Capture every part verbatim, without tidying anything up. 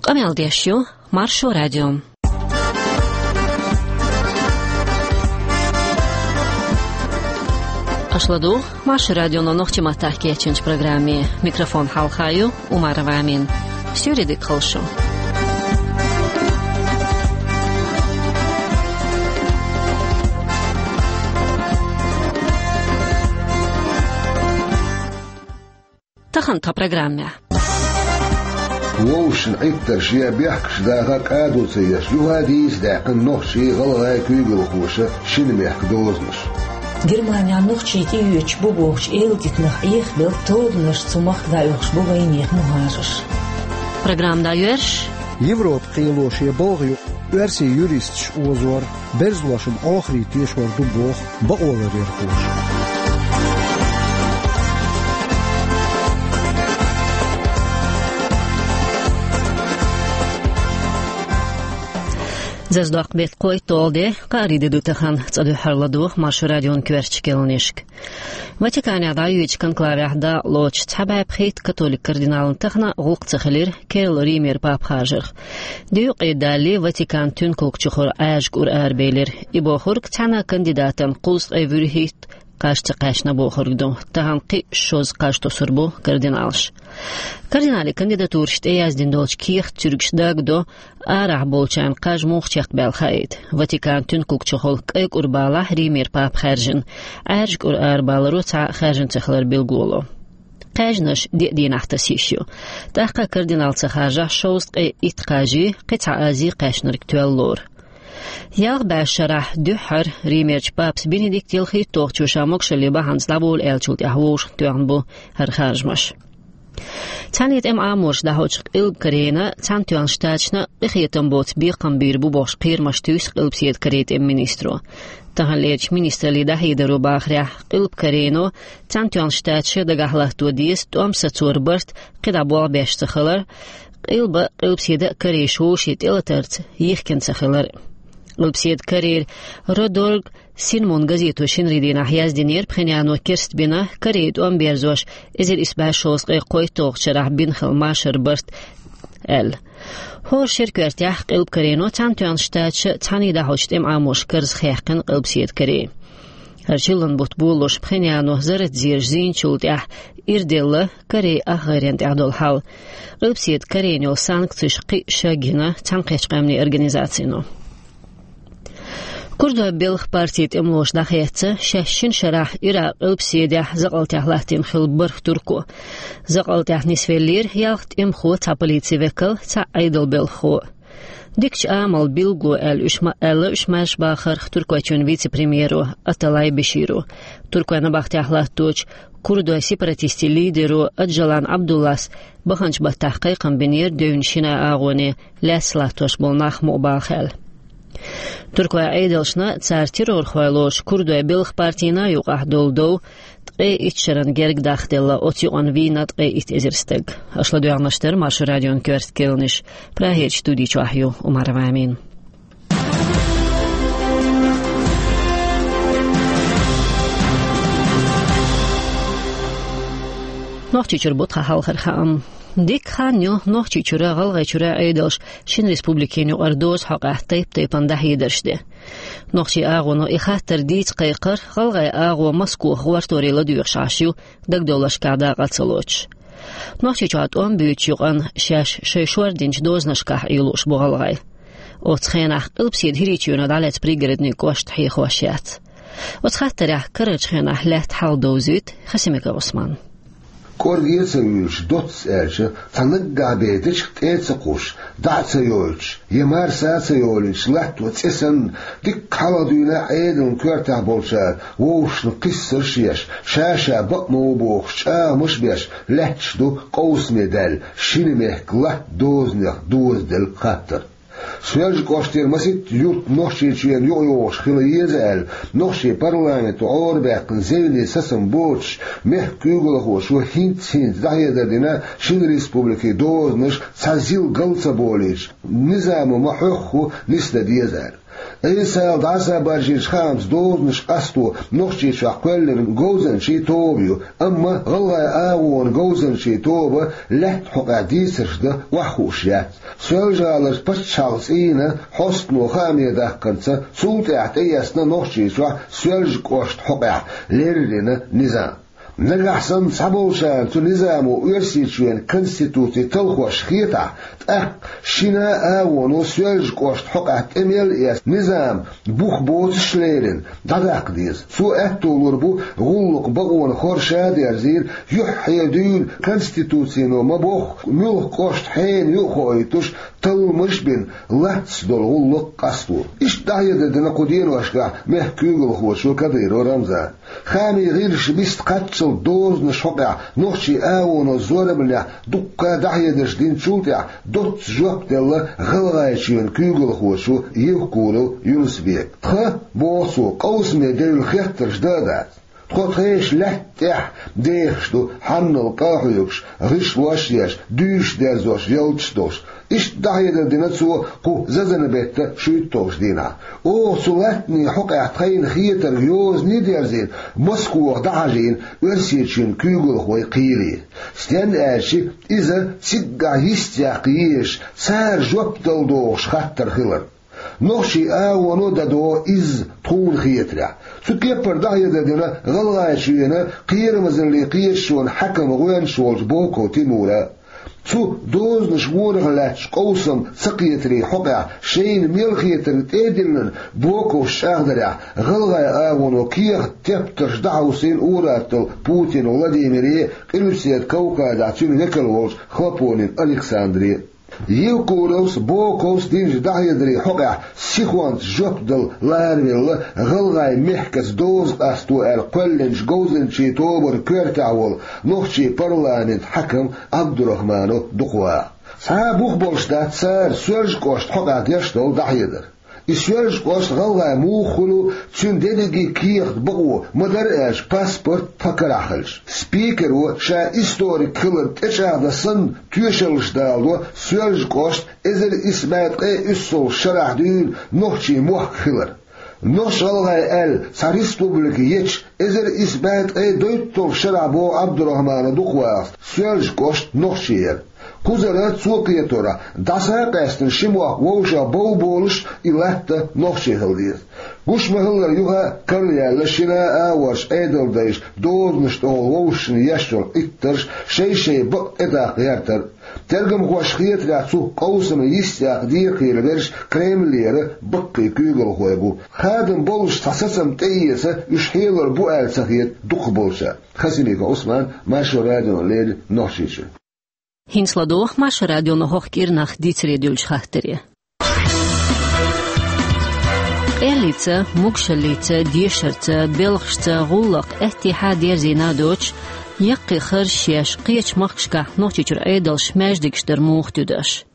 Къамел деш ю Маршо радио. Аша ладугӀу Маршо радионо нохчийн маттахь кечйинчу программе. Микрофон хьалха ю Умарова Амина. Суьйре дика хуьлда шун. Тахана тхан программехь. Вовшашна Ӏиттарш я бехкаш даха кӀадо ца еш, юха дийца даьккхина нохчий, гӀалгӀай куьйгалхоша шина мехкан дозанаш. Германехь нохчий тӀеоьцуш бу бохучу эладита нах Ӏехабелла тобанаш, цу махка дӀаоьхуш бу вайнехан мухӀажарш. Программа дӀайоьрзуш: Европа кхело шен балха юкъа оьрсийн юристаш озор, берзалошна Ӏохарий тешор ду боху бакъоларъярхоша. Зазадоккху беттан кхойтталгӀа де, кхаарин де ду тахана, цкъа дуьххьара ладугӀу Маршо радион коьртачу кхаьънашка. Ватиканехь дӀайоьдучу конклавехь дакъалоцуш цхьа бӀе пхийтта католик кардинална тахана гӀуллакх ца хилира керла Римера папа харжарх. Де юкъе далале, Ватикан туьнкалгӀачу хӀора Ӏаьржа кӀур арабелира. И бохург цхьана кандидатан кхузткъе вуьрхӀитта кхаж ца кхаьчна бохург ду. Тахана кхин а шозза кхаж тосур бу кардиналаш. Кардиналийн кандидатураш тӀеяздина долчу кехат цуьргаш дагадо, арахь болчарна кхаж муха чекхбаьлла хаийта. Ватикан туьнкалгӀачу хӀора кӀай кӀур балахь Римера папа хаьржина, Ӏаьржа кӀур арабаларо цхьа а хаьржина ца хилар билгалдо. Кхаьжнаш диъ дийнахь таса йиш ю. ТӀаккха кардинал ца харжахь, шовзткъе итт кхаж, кхин цхьа аз кхаьчнарг тоьлла лору. Ялх бӀе шарахь дуьххьара Римерчу папас Бенедикт ялхитталгӀачо ша могушалле бахьанца дӀабовла аьллачул тӀаьхьа вовшахтоьхна бу хӀара харжамаш. Цхьаьний тӀеман Ӏаморш дӀахьочу Къилба Корейна Цхьаьнатоьхначу Штаташна къинхетам боцу бекхам бийр бу бохуш кхерамаш туьйсу Къилбаседа Корейн тӀеман министро. Таханлерчу министраллин дӀахьедаро бахарехь, Къилба Корейно Цхьаьнатоьхначу Штаташа дагахь латто деза тӀом сацоран барт кхидӀа болх беш ца хилар, Къилба, Къилбаседа а Корейш вовшийн тӀелатарца йихкина ца хилар. Къилбаседа Корейра Родорг Синмун газето шинарин дийнахь яздинера, Пхеньяно керстбина Корей тӀом берзош эзар исс бӀе шовзткъе кхойтталгӀачу шарахь бина хилла машаран барт аьлла. ХӀора шеран коьртехь Къилба Корейно Цхьаьнатоьхначу Штаташа цхьаьний дӀахьочу тӀеман Ӏаморш карзахъяьккхина Къилбаседа Корей. ХӀара чиллан бутт болалуш Пхеньяно зарратан зераш зийначул тӀаьхьа ирделла Корейн ах гӀайренна тӀехь долу хьал. Къилбаседа Корейна йолу санкцеш кхин а шаг йина Цхьаьнакхеттачу Къаьмнийн Организацино. Курдойн белхан партин тӀемалоша дӀахецна шаьш шина шарахь Иракъан Къилбаседехь закъалтехь латтийна хилла бархӀ турко. ЗакъалтӀехь нисвеллера ялх тӀемахо, цхьа полицин векал, цхьаъ Ӏедалан белхахо. Дикачу амалан билгало аьлла уьш ма-, аьлла уьш маршбахарх Туркойчоьнан вице-премьеро Аталай Беширо. Туркойн набахтехь латточу курдойн сепаратистийн лидеро Аджалан Абдуллас баханчу баттахь кхайкхам бинера девнан шина агӀоне лаьцна латтош болу нах мукъабалахь аьлла. Туркойн Ӏедалшна, цара террорхой лоруш курдойн белхан партина юкъахь долу дов ткъе итт шарна герга дахделла, оцу юкъана вийна ткъе итт эзар стаг. Аша ладоьгӀнарш дара Маршо радион коьрта кхаьънаш. Прагерчу студи чохь ю Умарова Амина. Нохчийчуьра бу тхан хьалхара хаам. Дикка хан ю Нохчийчуьра, ГӀалгӀайчуьра Ӏедалша шина республикина юкъара дозан хьокъехь тайп-тайпана дӀахьедарш де. Нохчийн агӀоно и хаттар дийца кхайкхар, гӀалгӀайн агӀо Москох гӀортор ладоьгӀуш Ӏаш ю, дагадовларшкахь дакъа ца лоцуш. Нохчийчохь тӀом буьйцучу юкъана шаьш шайн шор динчу дозанашкахь Ӏуьйлуш бу гӀалгӀай. Оцу хенахь Къилбаседа ХӀирийчоьно дӀалаьцна Пригородни кӀошт хьехош яц. Оцу хаттарехь карарчу хенахь лаьтта хьал довзуьйту Хасимиков Ӏусмана. КӀорге а ца вуьйлуш, доцца аьлча, цхьа наггахь бен дечиг тӀе а ца кхуссуш, дӀа а ца йойтуш, я марса а ца йолуьйтуш латто цӀе санна, дикка хьалха дуьйна Ӏедалан коьртехь болчара вовшашна кхиссарш а еш, ша-ша бакъ ма ву бохуш чӀагӀамаш а беш, лаьтташ ду къовсаме даьлла шина мехкан латта дозанех дозаделла хаттар. Соьлжа-кӀоштера масийтта юрт Нохчийчоьнна юкъайогӀуш хила еза аьлла, нохчийн парламенто Ӏорабаьккхина зевне сацам боцуш, мехкан куьйгалхочо хӀинцца-хӀинцца дӀахьедар дина шина республикин дозанаш цхьа зил гал ца болуьйтуш, низамо ма-хьоьхху нисдан деза аьлла. Ӏийсал дӀасабаржийча хаамца дозанаш къасто Нохчийчохь кхоьллина говзанчийн тоба ю, амма гӀалгӀайн агӀонан говзанчийн тоба лаьттан хьокъехь дийцарш дан охьахууш яц. Соьлжа-ГӀаларчу паччахьалкхан цӀийнан хьостано хааме даьккхинца, цул тӀаьхьа тӀеэцна Нохчийчохь Соьлжа-кӀоштан хьокъехь леррина низам. Нагахь санна цхьаболчарна цу низамо Оьрсийчоьнан конституци талхош хетахь, тӀаккха шина а агӀоно Соьлжа-кӀоштан хьокъехь тӀе мел эцна низам бух боцуш лерина дӀадаккха деза. Цо аьтто лур бу гӀуллакх бакъонан хорша а дерзийла, юьххье дуьйна конституцино ма-бохху, муьлхха кӀошт хьенан ю а хоуьйтуш, талламаш а бина, лаьцна долу гӀуллакх къасто. Иштта дӀахьедар дина кху деношкахь мехкан куьйгалхочо Кадыров Рамзана. Хаамийн гӀирсаша биста кхаччалц дозанаш хьокъехь нохчийн агӀоно зорбанехь дуккха а дӀахьедарш динчул тӀаьхьа доцца жоп делла ГӀалгӀайчоьнан куьйгалхочо Евкуров Юнус-Бека. Тхан, боху цо, къовсаме девлла хеттарш дан а дац. Тхо тхешан лаьтта тӀехь дехаш ду, хьанал къа а хьоьгуш, гӀишлош а еш, дуьйш дерзош, ялташ а долуш. Иштта дӀахьедар дина цо кху зазана беттан шуьйтталгӀачу дийнахь. Оха цу латтанийн хьокъехь тхайна хетарг йозане а дерзийна, Москвахь дӀахьажийна Оьрсийчоьнан куьйгалхой кхеле. Стенна аьлча, иза циггахь йистехь езаш, цара жоп дала догӀуш хаттар хилар. Нохчийн агӀоно дан догӀу изза, тхуна хетарехь. Цу кепара дӀахьедар дина ГӀалгӀайчоьнан кхерамазаллин кхеташонан хьаькаман гӀоьнча волчу Боков Тимура. Цу дозанаш вонах лаьттачу къовсам ца кхетарийн хьокъехь шайна мел хетарг тӀе а диллина, Боковс чӀагӀдарехь, ГӀалгӀайн агӀоно кехат-тептарш дӀахьовсийна ур-атталла Путин Владимире, Къилбаседа Кавказехь цуьнан векал волчу Хлопонин Александре. Евкуровс, Боковс динчу дӀахьедарийн хьокъехь сихонца жоп дала ларавелла ГӀалгӀайн мехкаца доза къасто аьлла кхоьллинчу говзанчийн тобанан коьртехь волу нохчийн парламентан хьаькам Ӏабдурахманов Дукхаваха. Цхьа а бух болуш дац цара Соьлжа-кӀоштан хьокъехь деш долу дӀахьедар. И Соьлжа-кӀост ГӀалгӀайн муха хуьлу, цуьнан дерриге кехат бакъо, ма-дарра аьлча, паспорт тхан карахь хилча. Спикеро ша историк хиларна тӀечӀагӀдан санна тоьшаллаш даладо Соьлжа-кӀост эзар исс бӀе ткъе уьссалгӀачу шарахь дуьйна нохчийн мохк хилар. Нохч-ГӀалгӀай аьлла цхьа республика ечу эзар исс бӀе ткъе дейтталгӀачу шарахь, боху Ӏабдурахманов Дукхавахас, Соьлжа-кӀост нохчийн яра. Кхузара, цо кхеторехь, дӀаса а къаьстина ши мохк вовшах бовболуш и латта нохчийн хила деза. Гуш ма-хиллара, юха а карла яьлла шина а агӀорчу Ӏедалдайша дозанаш тӀехула вовшашна еш йолу Ӏиттарш, шай-шай бакъ тӀедаккха гӀертар. Тергамхошна хетарехь, цу къовсаман йистехь декхарийлахь верш Кремлера баккхий куьйгалхой бу. Хадам боллуш цхьа сацам тӀеэца уьш хьелор бу аьлла ца хета дукхахболчарна. Хасимиков Ӏусман, Маршо радиона леррина, Нохчийчуьра. ХӀинца ладогӀа Маршо радион хӀокху кӀирнах дийцаре дуьллучу хаттаре. Къеллица, могушаллица, дешарца, белхашца, гӀуллакх аьттехьа дерзийна а доцуш, яккхий харжаш еш, кхечу махкашкахь Нохчийчуьра Ӏедалша маьждигаш дар муха туьду аша?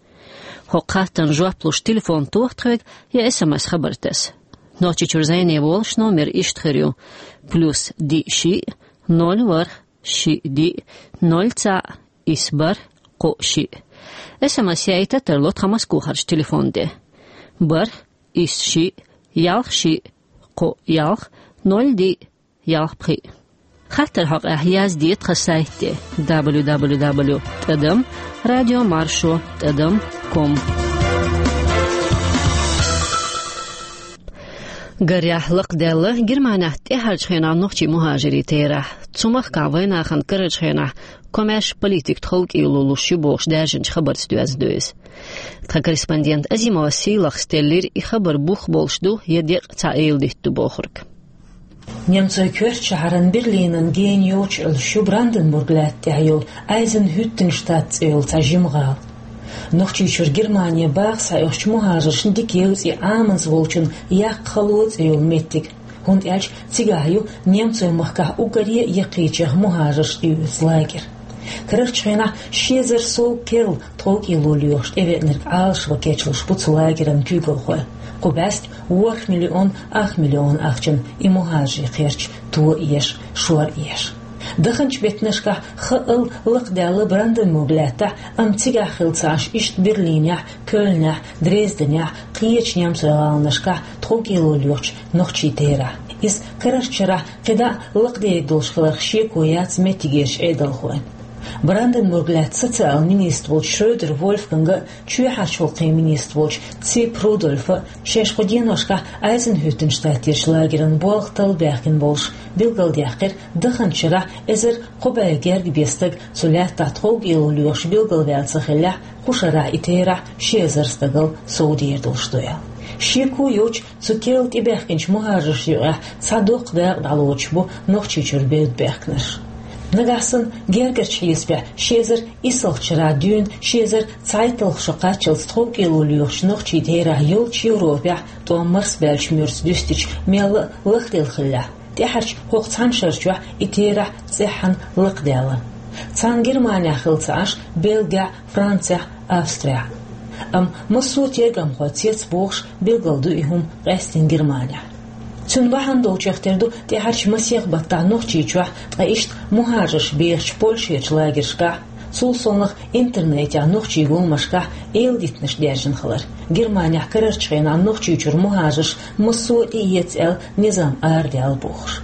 ХӀокху хаттарна жоп луш телефон тоха тхоьга я эс эм эс хабар таса. Нохчийчуьра зӀене волуш номер иштта хир ю: плюс диъ шиъ, ноль ворхӀ, шиъ диъ, ноль цхьаъ, исс бархӀ, кхоъ шиъ. Эс эм эс яйта а тарло тхан Москохарчу телефон тӀе: бархӀ, исс шиъ, ялх шиъ, кхоъ ялх, ноль диъ, ялх пхиъ. Хаттар хьокъехь язде тхан сайт тӀе: дабл ю дабл ю дабл ю тӀадам радио маршо тӀадам ком. Гарехь, лакхадаьлла Германехь тӀаьхьарчу хенахь нохчийн мухӀажирийн терахь. Цу махкахь вайнахана карарчу хенахь комаьрша политика тховкӀело луш ю бохуш даьржинчу хабарца доьзна ду иза. Тхан корреспондент Азимова Сийлахас теллира, и хабар бух болуш ду я декъа цхьа эладитта ду бохург. Немцойн коьртачу шахьаран Берлинан гена йоцуш Ӏуьллуш ю Бранденбург лаьтта тӀехь йолу Айзенхюттенштадт цӀе йолу цхьа жима гӀала. Нохчийчуьра Германе баха схьаоьхучу мухӀажаршна дика евза и Ӏаманца волчун Яккха хало цӀе йолу меттиг, хӀунда аьлча цигахь ю немцойн махкахь уггаре а яккхийчех мухӀажарш тӀеоьцу лагерь. Карарчу хенахь ши эзар сов керла тховкӀело лоьхуш тӀевеанарг Ӏалашван кечлуш бу цу лагеран куьйгалхой. Кху бӀаьста ворхӀ миллион ах миллион ахчана и мухӀажарийн кхерч то а еш, шор а еш. Даханчу беттанашкахь хаъал лакхадаьлла Бранденбург лаьттахь, амма цигахь хилла ца Ӏаш иштта Берлинехь, Кёльнехь, Дрезденехь, кхечу немцойн гӀаланашкахь тховкӀело лоьхучу нохчийн терахь. Иза карарчу шарахь кхидӀа а лакхадер долуш хиларх шеко яц меттигерчу Ӏедалхойн. Бранденбург лаьтта социал министр волчу Шрёдер Вольфганга а, чоьхьарчу гӀуллакхийн министр волчу Цип Рудольфа а шаьш кху деношкахь Айзенхуьттенштадтерчу лагеран болх талла баьхкина болуш билгалдаьккхира, даханчу шарахь эзар кхо бӀе гергга бен стаг цу лаьттахь тховкӀело лоьхуш билгалваьлла ца хиллехь, кху шарахь и терахь ши эзар стагал совдер долуш ду аьлла. Шеко йоцуш, цу керла тӀебаьхкинчу мухӀажаршна юкъахь цхьа доккха дакъа дӀалоцуш бу Нохчийчуьра бевдда баьхкинарш. Нагахь санна гергарчу хьесапехь ши эзар исалгӀачу шарахь дуьйна ши эзар цхьайтталгӀа шо кхаччалц тховкӀело лоьхучу нохчийн терахь йолчу Европехь тӀом марсабаьллачу муьрца дуьстича мелла а лахделла хиллехь, тӀаьхьарчу хӀокху цхьана шара чохь и терахь цӀеххьана лакхадаьлла. Царна Германехь хилла ца Ӏаш, Бельгехь, Францехь, Австрехь. Амма массо а тергамхой цецбохуш билгал ду и хӀума къаьсттина Германехь. Цуьнан бахьана долчех тера ду тӀаьхьарчу масех баттахь Нохчийчохь, ткъа иштта мухӀажарш бехачу Польшерчу лагершкахь, цул совнаха интернетехь нохчийн гуламашкахь эладитанаш даьржина хилар. Германехь карарчу хенахь Нохчийчуьра мухӀажарш массо а тӀеэца аьлла низам арадаьлла бохуш.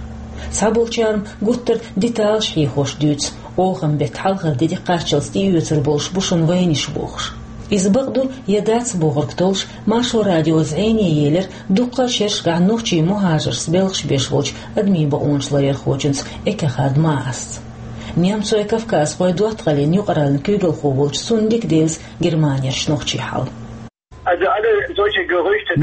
Цхьаболчара гуттар а деталаш хьехош дуьйцу, оханан беттан хьалхара де кхаччалц тӀеоьцур болуш бу шуна вайнаш бохуш. Иза бакъ ду я дац бохург толлуш, Маршо радио зӀене елира дуккха а шерашкахь нохчийн мухӀажаршца белхаш беш волчу адамийн бакъонаш ларъярхочуьнца Эккехард Маасца. Немцойн-кавказхойн доттагӀаллин юкъараллин куьйгалхо волчу цунна дика девза Германерчу нохчийн хьал.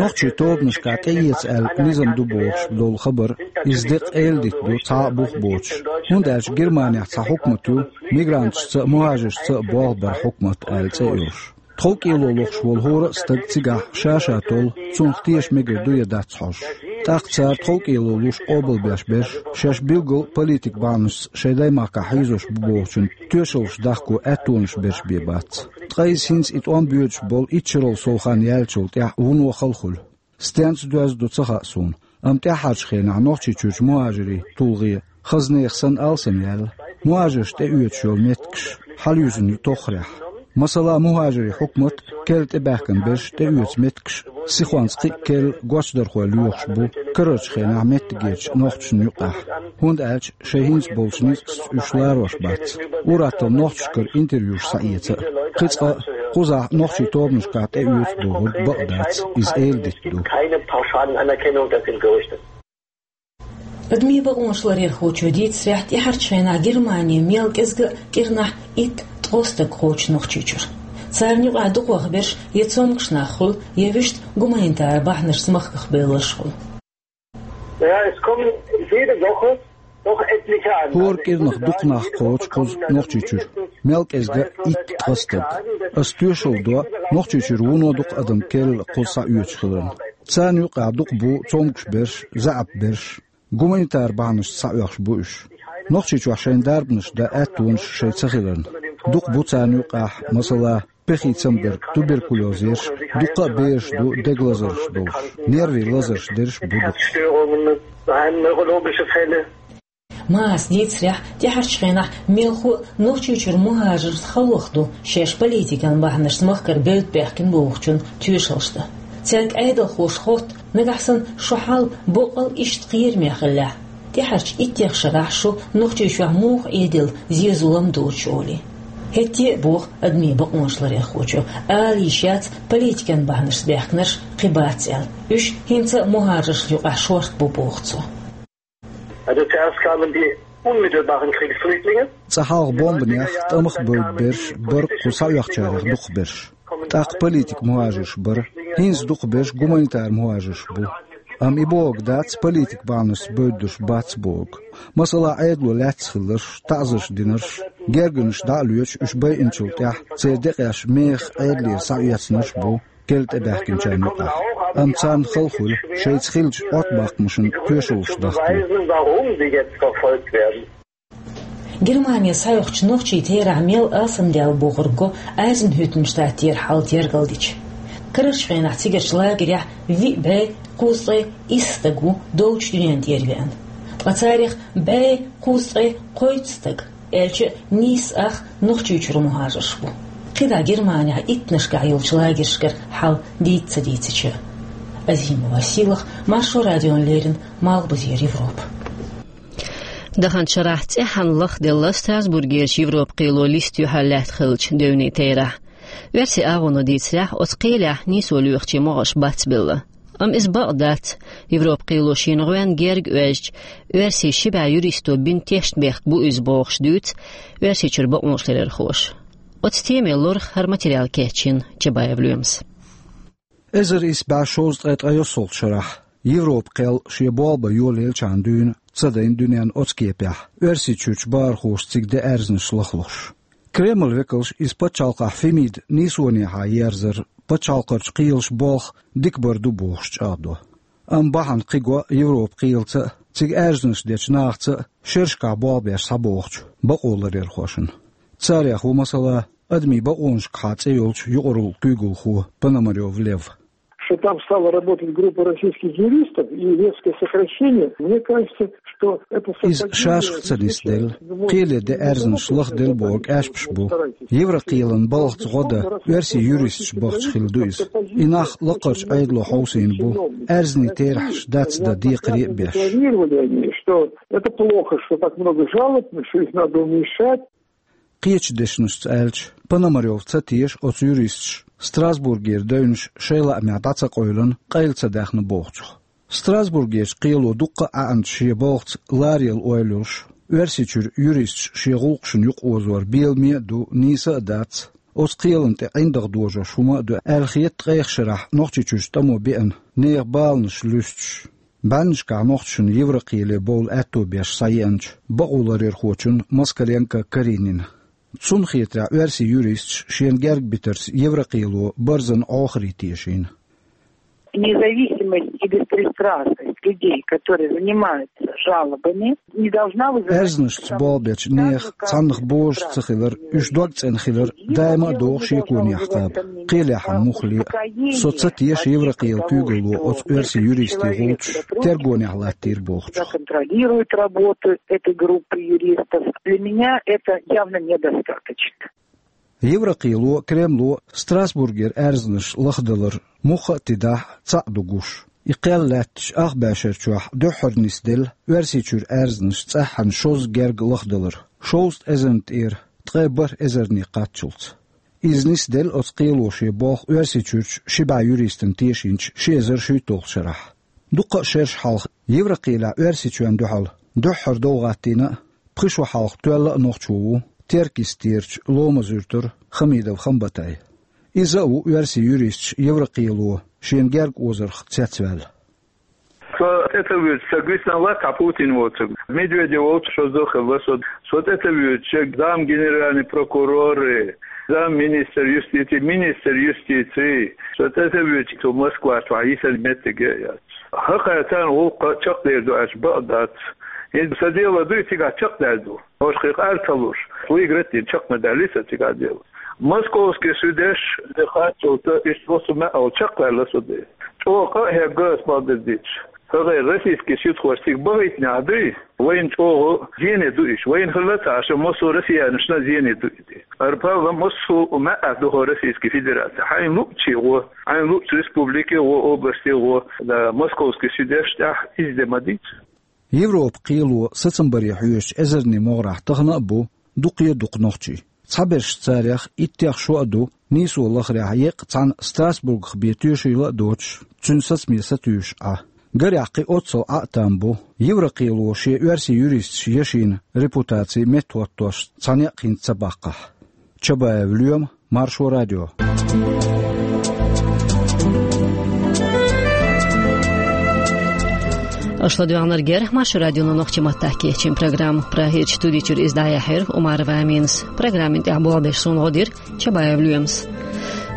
Нохчийн тобанашкахь тӀеэца аьлла низам ду бохуш долу хабар, иза деккъа эладита ду, цхьа а бух боцуш, хӀунда аьлча Германехь цхьа хьукмат ю, мигранташца а, мухӀажаршца а болх бар хьукмат аьлла цӀе а йолуш. ТховкӀело лохуш волу хӀора а стаг цигахь ша-ша толлу, цунах теша мегар ду я дац хьожуш. ТӀаккха цара тховкӀело луш къобалбеш берш, шаьш билггал а политикан бахьанашца шайн даймахкахь хьийзош бу бохучун тоьшаллаш дахко аьттонаш берш бен бац. Ткъа иза хӀинца и тӀом боьдуш болу итт шарал сов хан яьллачул тӀаьхьа вуно хала хуьлу. Стенца доьзна ду ца хаьа суна, амма тӀаьххьарчу хенахь Нохчийчуьрчу мухӀажарийн тулгӀе, хазанех санна алсам яьлла, мухӀажарш тӀеоьцуш йолу меттигаш хьалаюьзна ю тоххарехь. Масала, мухӀажарийн хьукмат а, керла тӀебаьхкина берш тӀеоьцу меттигаш а, сихонца кхин а керла гочдархой лоьхуш бу карарчу хенахь меттигерчу нохчашна юкъахь, хӀунда аьлча шайн хӀинца болчу ницкъашца уьш ларош бац. Ур-атталла нохчашкара интервьюш схьаэца а. Кхин цкъа а, кхузахь нохчийн тобанашкахь тӀеоьцу бохург бакъ дац, иза эладита ду. Keine pauschalen Anerkennung, das sind Gerüchte. Адамийн бакъонаш ларъярхочо дийцарехь, тӀаьхьарчу хенахь Германе мел кӀезга а кӀирнахь итт-ткъо стаг кхочу Нохчийчуьра. Царна юкъахь дукхох берш я цомгуш нах хуьлу, я вуьшта гуманитар бахьанашца махках бевлларш хуьлу. Ja, es kommen jede Woche doch etliche an. ХӀора кӀирнах дукха нах кхочу кхуза Нохчийчуьра. Мел кӀезга итт-ткъа стаг. Ас тоьшалла до, Нохчийчуьра вуно дукха адам керла кхуза схьаоьцуш хиларна. Царна юкъахь дукха бу цомгуш берш, заьӀап берш. Гуманитар бахьанашца схьаоьхуш бу уьш. Нохчийчохь шайн дарбанаш дан аьттонаш шайн ца хиларна. Дукха бу царна юкъахь, масала, пехий цамгар, туберкулёз ерш, дуккха а бераш ду дега лазарш долуш, нервийн лазарш дерш бу дукха. Maß дийцарехь, тӀаьхьарчу хенахь мелхо а Нохчийчуьра мухӀажаршна халонах ду шаьш политикан бахьанашца махкара бевдда баьхкина бохучун тоьшаллаш дан. Цаьрга Ӏедалхоша хотту, нагахь санна шун хьал боккъал иштта кхераме хиллехь, тӀаьхьарчу иттех шарахь шу Нохчийчохь муха Ӏедийла зен-зулам доцуш олий. ХӀетте а боху адамийн бакъонаш ларъярхочо, ала йиш яц политикан бахьанашца баьхкинарш кхин бац аьлла. Уьш хӀинца а мухӀажаршна юкъахь шорта бу боху цо. Also zuerst kamen die unmittelbaren Kriegsflüchtlinge. Цкъа хьалха бомбанех, тӀамах а бевдда берш бара кхуза схьаоьхучарех дукха берш. ТӀаккха политик мухӀажарш бара. ХӀинца дукха берш гуманитар мухӀажарш бу. Амма и бохург дац, политик бахьанашца бевддарш бац бохург. Масала, Ӏедало лаьцна хилларш, таӀзарш динарш, гергарнаш дӀа а лоьцуш, уьш байинчул тӀаьхьа церан декъеш мехах Ӏедалера схьаэцнарш а бу керла тӀебаьхкинчарна юкъахь. Амма царна хала хуьлу, шайца хиллачу Ӏоттабаккхамашна тоьшаллаш дахко. Weisen, warum sie jetzt verfolgt werden. Германе схьаоьхучу нохчийн терахь мел алсамдаьлла бохург го Айзенхуьттенштадтера хьал тергалдича. Карарчу хенахь цигарчу лагерехь виъ бӀе кхузткъе исс стаг ву долчу дуьнен тӀера веана. Ткъа царех бӀе кхузткъе кхойтта стаг, аьлча а нийсса ах, Нохчийчуьра мухӀажарш бу. КхидӀа Германехь иттанашкахь йолчу лагершкара хьал дийца ца дийцича. Азимова Сийлаха, Маршо радиона леррина, Малхбузера Европа. Даханчу шарахь цӀеххьана лахделла Страсбургерчу Европа кхело листа юьхьарлаьтта хиллачу девнийн терахь. Оьрсийн агӀоно дийцарехь, оцу кхелехь нийсо лоьхучийн могӀарш бацбелла. Амма иза бакъ дац, Европа кхело шена гӀоьнна герга оьзча, оьрсийн ши бӀе юристо бина тешнабехк бу иза бохуш дуьйцу Оьрсийчуьра бакъонашларъярхоша. Оцу темин лорах хӀара материал кечйина Чабаев Лоьмас. Эзар исс бӀе шовзткъе ткъайоьссалгӀачу шарахь, Европа кхел шен болх бан йолаеллачхьана дуьйна ца дайна дуьненна оцу кепехь, Оьрсийчуьрчу бахархоша цига де аьрзнаш лахлуш. Кремль векалш иза пачхьалкхехь Фемида нийсонехьа ерзар пачхьалкхарчу кхелаша болх дика бар ду бохуш чӀагӀдо. Амма бахьана кхин го Европа кхелаца а, цига аьрзнаш дечу нахаца а шерашкахь болх беш схьабогӀучу бакъоларъярхошна. Царех ву, масала, адамийн бакъонашкахьа цӀе йолчу юкъаралла куьйгалхо Пономарёв Лев. Что там стала работать группа российских юристов и резкое сокращение, мне кажется, что это... Иза шашах ца нисделла, кхеле де аьрзнаш лахделла бохург аьшпаш бу. Еврокхелан балхаца гӀо дан оьрсийн юристаш бахча хилла ду иза. И нах лакхарчу Ӏедало хьовсийна бу, аьрзнийн терахьаш дац дан декхаре а беш. Декларировали они, что это плохо, что так много жалоб, что их надо уменьшать. Кхечу дешнашца аьлча, Пономарёв ца теша оцу юристаша Страсбургера девнаш шайн лаамехь дӀа ца къевлина, къайла ца даьхна бохучух. Страсбургерчу кхело дуккха а ӀаьӀанчу шен балхаца ларъяла ойла йолуш, Оьрсийчуьра юристаш шен гӀуллакхашна юкъаозор беламе а ду, нийса а дац, оцу кхелана тӀе ӀиндагӀ дожош хӀума а ду аьлла хета ткъех шарахь Нохчийчуьрчу тӀамо беана нехан баланаш луьстуш, бӀеннашкахь нохчашна Еврокхеле бовла аьтто беш схьаеанчу бакъоларъярхочунна Москаленко Каринина. Цунна хетарехь, оьрсийн юристаш шена герга битарца Еврокхело барзан Ӏохаре тешийна. Независимость и беспристрастность людей, которые занимаются жалобами, не должна вызывать... Аьрзнашца болх бечу нехан цхьаннах божаш ца хилар, уьш дог цӀена хилар даима а догӀу шеконехь кхаба, кхелехь муххале а. Со ца теша Еврокхелан куьйгалло оцу оьрсийн юристийн гӀулчаш тергонехь латтийра бохучух. Контролирует работу этой группы юристов. Для меня это явно недостаточно. Еврокхело, Кремло Страсбургера аьрзнаш лахдалар мухха а тидахь, цхьаъ ду гуш. И кхел лаьттачу ах бӀешар чохь дуьххьара нисделла Оьрсийчуьра аьрзнаш цӀеххьана шозза герга лахдалар, шовзткъа эзарна тӀера ткъе бархӀ эзарне кхаччалц. Иза нисделла оцу кхело шен болх Оьрсийчуьрчу ши бӀе юристана тешийначу ши эзар шийтталгӀачу шарахь. Дуккха а шераш хьалха Еврокхелехь Оьрсийчоьнна дуьхьал дуьххьара дов гӀаттийна а, пхи шо хьалха тоьлла а нохчо ву Теркйистерчу Ломаз-Юьртара Хамидов Хамбатай. Иза а ву оьрсийн юристаш Еврокхело шена герга озарх цецваьлла. Со тӀе ца вуьйцу, сан гуьсна лац хьан Путин воцург. Медведев волчу шозза хилла со. Со тӀе ца вуьйцу, шен зам генеральный прокуроры, зам министр юстиции, министр юстиции. Со тӀе ца вуьйцу, цу Москва чохь йисар меттиге а яц. ХӀокхара царна гӀуллакх чекхдер ду аьлча, бакъ дац. ХӀинца сан дело дуй, цигахь чекхдер ду. Ош кхин къар ца луш, выиграть дина чекхна даьлли сан цигахь дело. Московский судеш де хатталца иштта васу маьӀал чекхваьлла со де. ЧӀогӀа къа а хьегга ас бакъдерг дийцча. ХӀара российский судхоша цига бахийтинехь дуй, вайна чӀогӀа зене ду иш. Вайна хилла ца Ӏаш, массо а россиянашна зене ду и. Арпалла массо а маьӀӀехь ду хӀара Российский Федерация. Хьайна луъчий гӀо, хьайна луъчу республике гӀо, областе гӀо, да, московский судеш тӀехь иза де ма дийца. Европа кхело сацам баре хьоьжучу эзарнийн могӀарехь тахана а бу дукхе а дукха нохчий. Цхьаберш царех иттех шо а ду, нийсо лахарехь еккъа цхьаьна Страсбургах бен тоьшийла а доцуш, цуьнан сацаме сатуьйсуш Ӏа. Гарехь кхин оццул Ӏа а там бу, Еврокхело шен оьрсийн юристаш яшина репутаци меттахӀоттош цхьа некъ хӀинца ца баккхахь. Чабаев Лоьма, Маршо радио. Аша ладоьгӀнарг яра Маршо радионо нохчийн маттахь кечйина программа. Прагерчу студи чуьра иза дӀаяьхьира Умарова Аминас. Программин тӀехь болх беш суна гӀо дира Чабаев Лоьмас.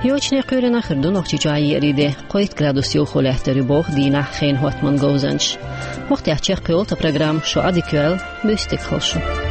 Йочане кхоьлина хир ду Нохчийчохь еарин де, кхойтта градус йовхо лаьттар ю боху дийнахь хенан хӀоттаман говзанчаша. ХӀокху тӀехь чекхйолу тхан программа, шу Ӏадика йойла, буьйса дика хуьлда шун.